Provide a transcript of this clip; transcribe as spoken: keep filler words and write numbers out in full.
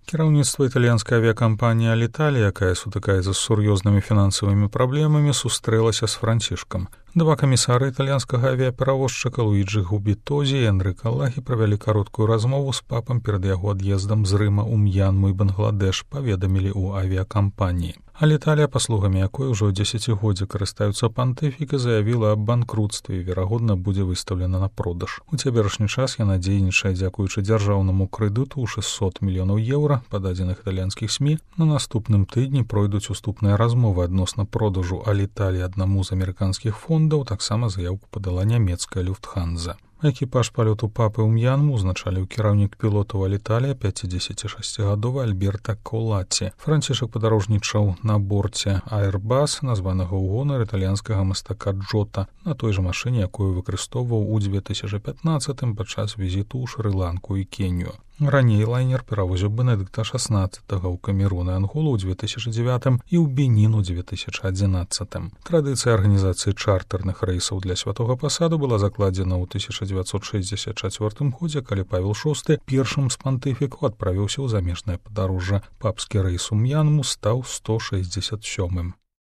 Кіраўніцтва італьянскай авіакампаніі «Аліталія», якая сутыкаецца з сур'ёзнымі фінансавымі праблемамі, сустрэлася з Францішкам. Два камісары італьянскага авіаперавозчыка Луіджы Губітозі і Энрыка Лагі правялі кароткую размову з папам перад яго ад'ездам з Рыма ў М'янму і Бангладэш, паведамілі ў авіакампаніі. «Аліталія», паслугамі якой ужо дзесяцігоддзя карыстаюцца пантыфіка, заявіла аб банкрутстве і, верагодна, будзе выстаўлена на продаж. У цяперашні час яна дзейнічае дзякуючы дзяржаўнаму крэдыту ў шэсцьсот мільёнаў еўра, па дадзеных італьянскіх СМІ. На наступным тыдні пройдуць уступныя размовы адносна продажу «Аліталіі» аднаму з амерыканскіх фондаў, таксама заяўку падала нямецкая «Люфтханза». Экіпаж палёту папы ў М'янму узначаліў кіраўнік пілотаў «Аліталія» пяцідзесяцішасцігадовы Альберта Колаці. Францішак падарожнічаў на борце «Аэрбас», названага ў гонар італьянскага мастака Джота, на той жа машыне, якую выкарыстоўваў у дзве тысячы пятнаццатым падчас візіту ў Шры-Ланку і Кенію. Раней лайнер перавозіў Бенедыкта шаснаццатага ў Камерун і Анголу ў дзве тысячы дзевятым і ў Бенін у дзве тысячы адзінаццатым. Традыцыя арганізацыі чартэрных рэйсаў для святога пасаду была закладзена ў тысяча дзевяцьсот шэсцьдзесят чацвёртым годзе, калі Павел шосты першым з пантыфікаў адправіўся ў замежнае падарожжа. Папскі рэйс у М'янму стаў сто шэсцьдзесят сёмым.